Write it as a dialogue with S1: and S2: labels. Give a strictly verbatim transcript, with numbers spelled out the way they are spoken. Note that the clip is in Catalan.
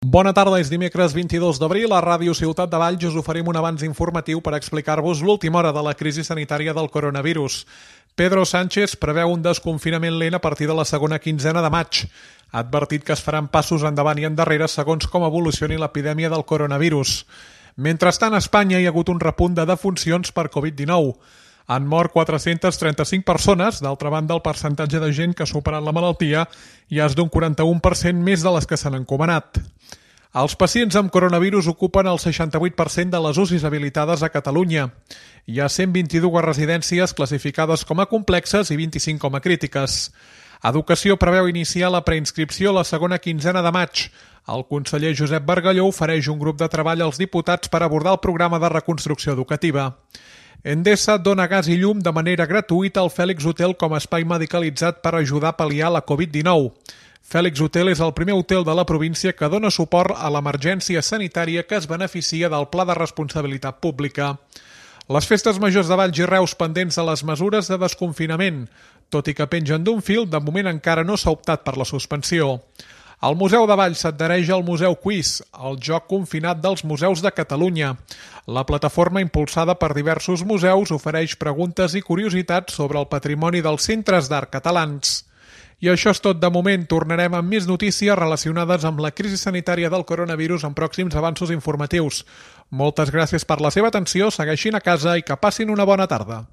S1: Bona tarda, és dimecres vint-i-dos d'abril. A Ràdio Ciutat de Valls us oferim un avanç informatiu per explicar-vos l'última hora de la crisi sanitària del coronavirus. Pedro Sánchez preveu un desconfinament lent a partir de la segona quinzena de maig. Ha advertit que es faran passos endavant i endarrere segons com evolucioni l'epidèmia del coronavirus. Mentrestant, a Espanya hi ha hagut un repunt de defuncions per covid dinou. Han mort quatre-centes trenta-cinc persones, d'altra banda el percentatge de gent que ha superat la malaltia ja és d'un quaranta-u per cent més de les que s'han encomanat. Els pacients amb coronavirus ocupen el seixanta-vuit per cent de les U C Is habilitades a Catalunya. Hi ha cent vint-i-dues residències classificades com a complexes i vint-i-cinc com a crítiques. Educació preveu iniciar la preinscripció la segona quinzena de maig. El conseller Josep Bargalló ofereix un grup de treball als diputats per abordar el programa de reconstrucció educativa. Endesa dona gas i llum de manera gratuïta al Fèlix Hotel com a espai medicalitzat per ajudar a pal·liar la covid dinou. Fèlix Hotel és el primer hotel de la província que dona suport a l'emergència sanitària que es beneficia del Pla de Responsabilitat Pública. Les festes majors de Valls i Reus pendents de les mesures de desconfinament. Tot i que pengen d'un fil, de moment encara no s'ha optat per la suspensió. El Museu de Valls s'adhereix al Museu Quiz, el joc confinat dels museus de Catalunya. La plataforma impulsada per diversos museus ofereix preguntes i curiositats sobre el patrimoni dels centres d'art catalans. I això és tot de moment. Tornarem amb més notícies relacionades amb la crisi sanitària del coronavirus en pròxims avanços informatius. Moltes gràcies per la seva atenció, segueixin a casa i que passin una bona tarda.